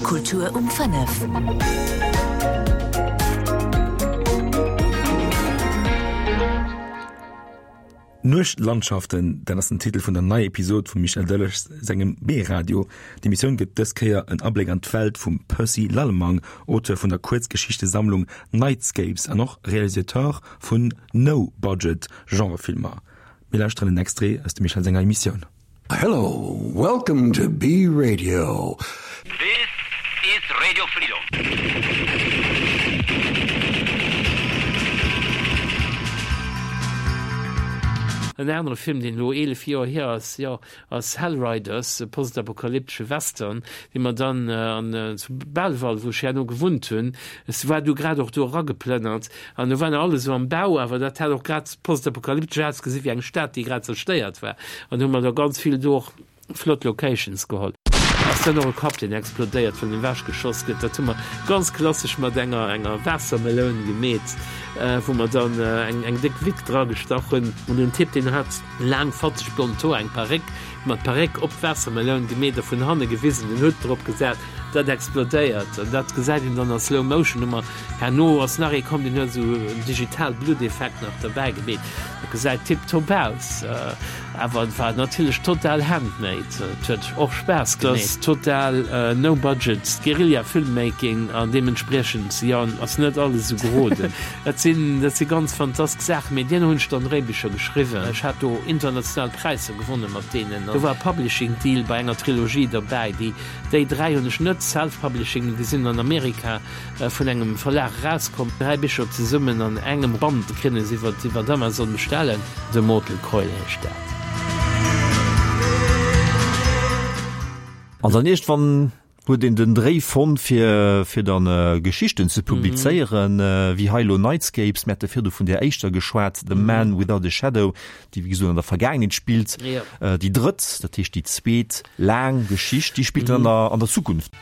Kultur um 5. Nuechtlandschaften, dat ass den Titel vun der neier Episod vum Michel Delage sengem B-Radio. D'Emissioun gëtt dës Kéier en Abléck an d'Welt vum Percy Lallemang, Auteur vun der Kuerzgeschichtesammlung Nightscapes an och Realisateur vun No-Budget-Genrefilmer. Mir lauschteren en Extrait aus dem Michel senger Emissioun. Hello, welcome to B Radio. This is Radio Freedom. En anere Film, deen elo 11 Joer hier ass, jo, ass Hellriders, e postapokalyptesche Western, dee mer dann an zu Belval, wou ech herno gewunnt hunn, ech war du grad och do erageplënnert, an do war nach alles esou am Bau, awer dat hat och grad postapokalyptesch ausgesi wéi eng Stad, déi grad zerstéiert war, an hu mer da ganz vill do och flott Locations geholl. Ass dann och e Kapp, deen explodéiert, wann ewech geschoss gëtt. Dat hu mer ganz klassesch mat enger enger Waassermeloun gemeet, wou mer dann eng eng déck Wick dragestach hunn. An den Typ, deen hat laang fatzeg blond Hoer, eng Paréck, mat Paréck op d'Waassermeloun gemeet a vun hanne gewisen, den Hutt drop gesat, dat explodéiert. An dat gesäit een dann a Slow Motion. Hu mer Herno ass nach ee komm, deen huet esou en digital Blutteffekt nach derbäi gemeet. Dat gesäit tiptop aus, awer et war natierlech total handmade. Et huet och Spaass gemeet. Dat ass total no budget Guerilla Filmmaking an deementspriechend, jo, ass net alles esou geroden. Dat sinn, dat si ganz fantastesch Saachen, mee duerno hunn ech dann Dréibicher geschriwwen. Ech hat do international Präisser gewonne mat deenen. Do war e Publishing Deal bei enger Trilogie derbäi. Déi, déi 3 hunn ech net self-publishing, déi sinn an Amerika vun engem Verlag erauskomm. 3 Bicher zesummen an engem Band kréien se iwwer iwwer Amazon bestellen. The Mortal Coil heescht dat. An dann iergendwann huet een den Dréi fonnt fir fir dann Geschichten ze publizéieren, wéi hei elo Nightscapes. Mir hate virdu vun där éischter geschwat, The Man Without a Shadow, déi wéi gesot an der Vergaangenheet spillt. Déi drëtt, dat heescht déi zweet laang Geschicht, déi spillt dann an der Zukunft.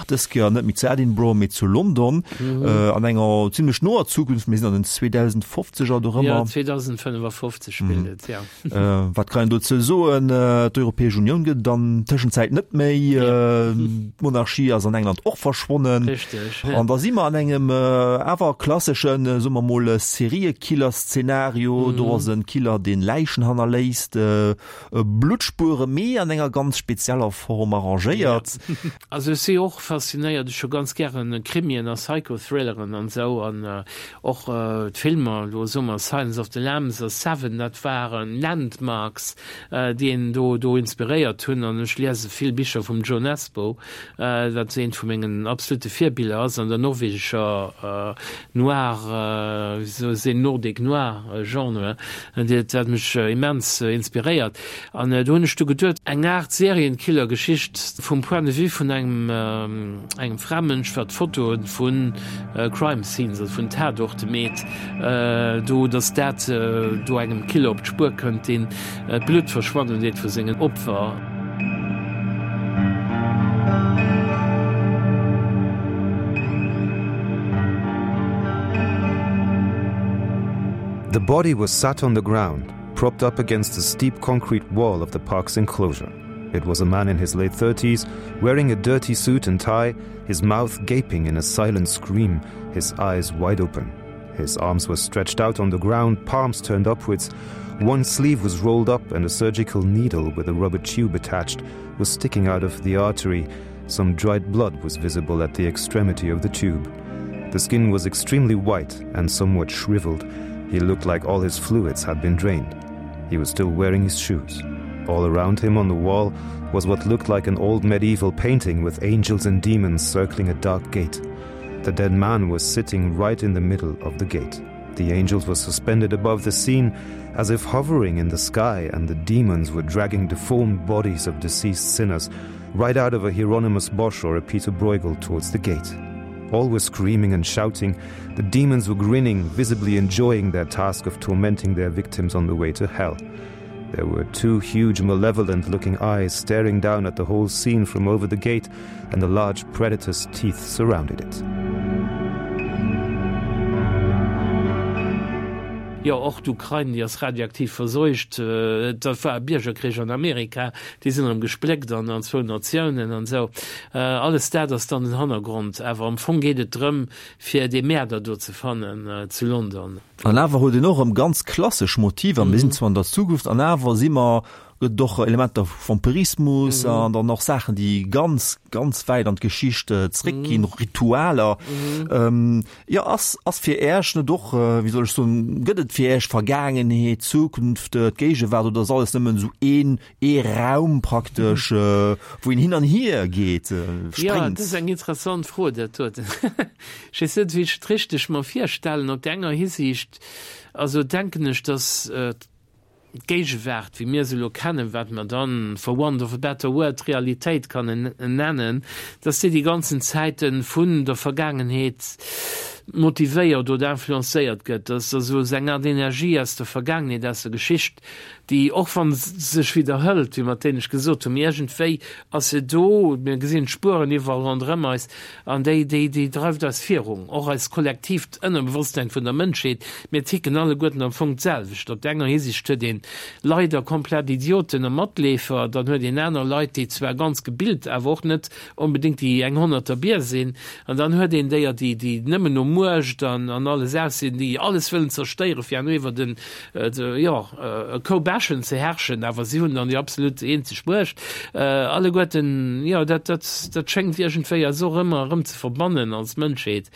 Dës Kéier net méi zu Edinburgh, mee zu London, an enger zimlech noer Zukunft. Mir sinn an den 2050er dorëmmer. Jo, 2055 spillt et, jo. Wat kann een dozou soen? D'Europäesch Unioun gëtt et an Tëschenzäit net méi. D'Monarchie ass an England och verschwonnen. Richteg. An da si mer an engem awer klasseschen, soe mer mol, Seriekiller-Szenario. Do ass e Killer, deen Läichen hannerléisst, Bluttspuere, mee an enger ganz spezieller Form arrangéiert. Also ech si och faszinéiert, ech hu ganz gären Krimien a Psychothrilleren an esou an och d'Filmer, elo soe mer Silence of the Lambs a Seven, dat waren Landmarks, déi een do do inspiréiert hunn an ech liese vill Bicher vum Jo Nesbo, wat eent vu mengen absolute Virbiller ass an der norwegescher Noir, wéi soll ech soen, Nordic Noir Genre, dat mech immens inspiréiert. An do hunn ech du geduet, eng Aart Serienkiller-Geschicht vum Point de vue vun engem engem Framënsch, wat Fotoe vu Crime Scenes, also vun Tatorte meet, do, datt dat do engem Killer op d'Spuer kënnt, deen d'Blutt verschwannen deet vu sengen Opfer. The body was sat on the ground, propped up against the steep concrete wall of the park's enclosure. It was a man in his late 30s, wearing a dirty suit and tie, his mouth gaping in a silent scream, his eyes wide open. His arms were stretched out on the ground, palms turned upwards. One sleeve was rolled up and a surgical needle with a rubber tube attached was sticking out of the artery. Some dried blood was visible at the extremity of the tube. The skin was extremely white and somewhat shriveled. He looked like all his fluids had been drained. He was still wearing his shoes. All around him on the wall was what looked like an old medieval painting with angels and demons circling a dark gate. The dead man was sitting right in the middle of the gate. The angels were suspended above the scene as if hovering in the sky, and the demons were dragging deformed bodies of deceased sinners right out of a Hieronymus Bosch or a Peter Bruegel towards the gate. All were screaming and shouting. The demons were grinning, visibly enjoying their task of tormenting their victims on the way to hell. There were two huge malevolent-looking eyes staring down at the whole scene from over the gate, and the large predator's teeth surrounded it. Jo, och d'Ukrain, déi ass radioaktiv verseucht. Et war e Biergerkrich an Amerika, déi sinn erëm gespléckt an an zwou Natiounen an esou. Alles dat ass dann den Hannergrond. Awer am Fong geet et drëm, fir dee Mäerder do ze fannen zu London. An awer huet een och erëm ganz klassesch Motiver. Mir sinn zwar an der Zukunft, an awer si mer, gëtt et och Elementer vu Vampirismus an dann och Saachen, déi ganz, ganz wäit an d'Geschicht zréckginn, Ritualer. Jo, ass, ass fir Äech net och, wéi soll ech soen, gëtt et fir Äech Vergaangenheet, Zukunft, d'Géigewaart oder ass alles nëmmen esou een, ee Raum praktesch, wou een hin an hier geet, spréngt? Jo, dat ass eng interessant Fro, dat doten. Ech weess net, wéi ech et richteg mer virstellen. Op der enger Hisiicht, also denken ech, datt D'Géigewaart, wéi mir se elo kennen, wat mer dann, for want of a better word, d'Realitéit kann nennen, dass déi déi ganzen Zäite vun der Vergaangenheet motivéiert oder influencéiert gëtt, dass also esou eng Art Energie aus der Vergaangenheet, aus der Geschicht, déi, och wa se sech widderhëlt, wéi mer d'éinescht gesot hunn, mee iergendwéi ass se do, mir gesinn d'Spueren iwwerall ronderëm eis, An déi, déi, déi dreift eis virun, och eist kollektiivt Ënnerbewosstsein vun der Mënschheet. Mir ticken alleguerten am Fong d'selwecht. Op der enger Hisiicht huet een leider komplett Idioten a Matleefer, dann huet een aner Leit, déi zwar ganz gebilt, awer och net onbedéngt déi eng honnerter Bier sinn, an dann huet een déier, déi, déi nëmmen no Muecht an, an alles aus sinn, déi alles wëllen zerstéieren, fir herno iwwer den, jo, e Koup Äschen ze herrschen, awer si hunn dann déi absolut eenzeg Muecht. Alleguerten, jo, dat, dat, dat schéngt iergendwéi eis och ëmmer erëm ze verbannen als Mënschheet.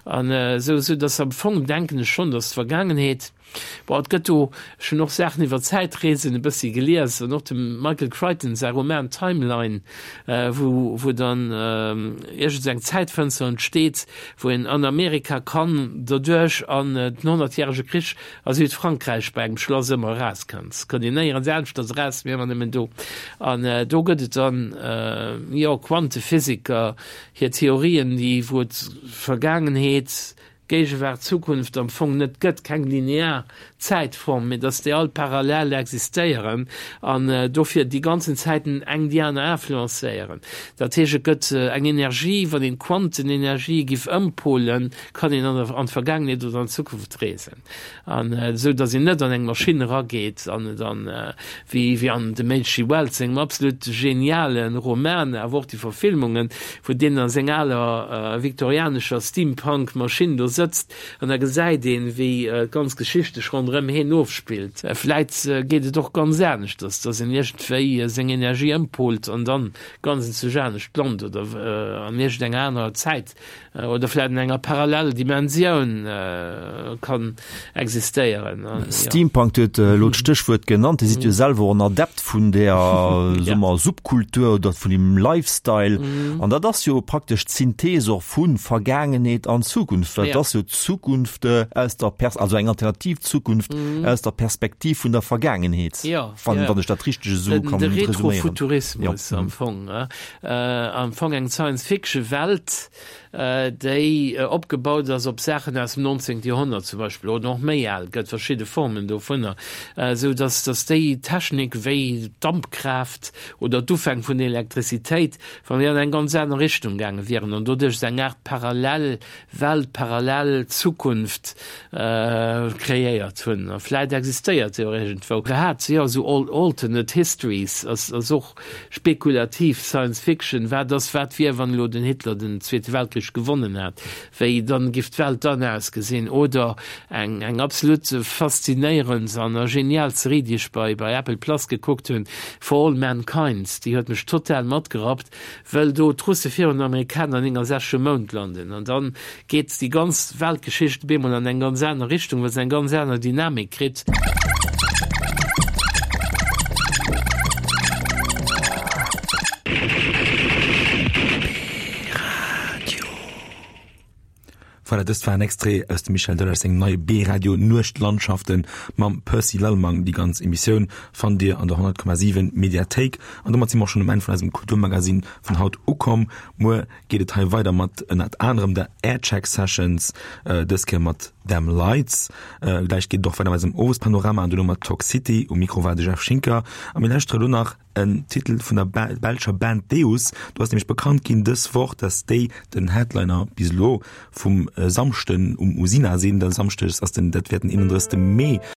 An esou, esou dass am Fong denken ech schonn, dass d'Vergaangenheet, bon, et gëtt do, ech hunn och Saachen iwwer Zäitreesen e bëssi gelies an och dem Michael Crichton säi Roman Timeline, wou, wou dann iergend esou eng Zäitfënster entsteet, wou een an Amerika kann derduerch an den Honnertjärege Krich A Südfrankräich bei engem Schlass ëmmer erauskënnt, kënnt een néierens aneschters eraus, mee ëmmer nëmmen do. An do gëtt et dann, jo, Quantephysiker, hir Theorien, déi, wou et Vergaangenheet, Géigewaart, Zukunft am Fong net gëtt, keng linear Zäitform, mee datt déi all parallel existéieren an dofir déi ganzen Zäiten eng déi aner influencéieren. Dat heescht, et gëtt eng Energie, wann een d'Quantenenergie giff ëmpolen, kann een an an d'Vergaangenheet oder an d'Zukunft reesen. An esou datt een net an eng Maschinn erageet an dann, wéi wéi an dem HG. Wells sengem absolut geniale Roman, awer och déi Verfilmungen, wou deen a seng aler viktorianescher Steampunk-Maschinn do sëtzt an da gesäit een, wéi d'ganz Geschicht sech ronderëm heen ofspillt. Vläit geet et och ganz aneschters, datt een iergendwéi seng Energie ëmpolt an dann ganz enzwousch anescht lant oder an iergendenger anerer Zäit oder vläit an enger parallel Dimensioun kann existéieren. Steampunk, Dir huet elo d'Stéchwuert genannt. Dir sidd jo selwer och en Adept vun där, soe mer, Subkultur oder vun deem Lifestyle. An dat ass jo praktesch d'Synthese och vu Vergaangenheet an Zukunft, well et ass jo d'Zukunft aus der Pers-, also eng alternativ Zukunft aus der Perspektiv vun der Vergaangenheet, wann ech dat richteg esou kann resuméieren. De Retrofuturismus am Fong. Am Fong eng Science-Fiction-Welt, déi opgebaut ass op Saachen aus dem 19. Joerhonnert zum Beispill, oder och méi al, gëtt verschidde Formen dovunner, esou dass dass déi Technik wéi d'Dampkraaft oder d'Ufäng vun der Elektrizitéit, wann déi an eng ganz aner Richtung gaange wieren an doduerch esou eng Aart parallel Welt, parallel Zukunft kreéiert hunn. A vläit existéiert se och iergendwou. Grad, jo, esou Alternate Histories ass ass och Spekulativ Science Fiction, wat ass, wat wier, wann elo den Hitler den Zweete Weltkrich gewonnen hätt, wéi dann giff d'Welt dann ausgesinn? Oder eng eng absolut faszinéierend an a genial Serie, déi ech bei bei Apple Plus gekuckt hunn, For All Mankind, déi huet mech total matgerappt, wëll do d'Russe virun den Amerikaner 69 um Mound landen an dann geet déi ganz Weltgeschicht op eemol an eng ganz aner Richtung, well se eng ganz aner Dynamik kritt. Voilà, dëst war en Extrait aus dem Michel Delage sengem neie B-Radio Nuechtlandschaften mam Percy Lallemang. Déi ganz Emissioun fannt Dir an der 100,7 Mediathéik. An domat si mer och schonn um Enn vun eisem Kulturmagazin vun haut ukomm. Muer geet et hei weider mat ënnert anerem der Aircheck Sessions, dës Kéier mat. Them Lights. Gläich geet et och weider mat eisem Owespanorama an duerno mat Talk City. Um Mikro war de Jeff Schinker a mir lauschtere lo nach en Titel vun der belscher Band Deus. Do ass nämlech bekannt ginn dës Woch, dass déi den Headliner bis elo vum Samschden um Usina sinn. De Samschdes ass den, dat wär den 31. Mee.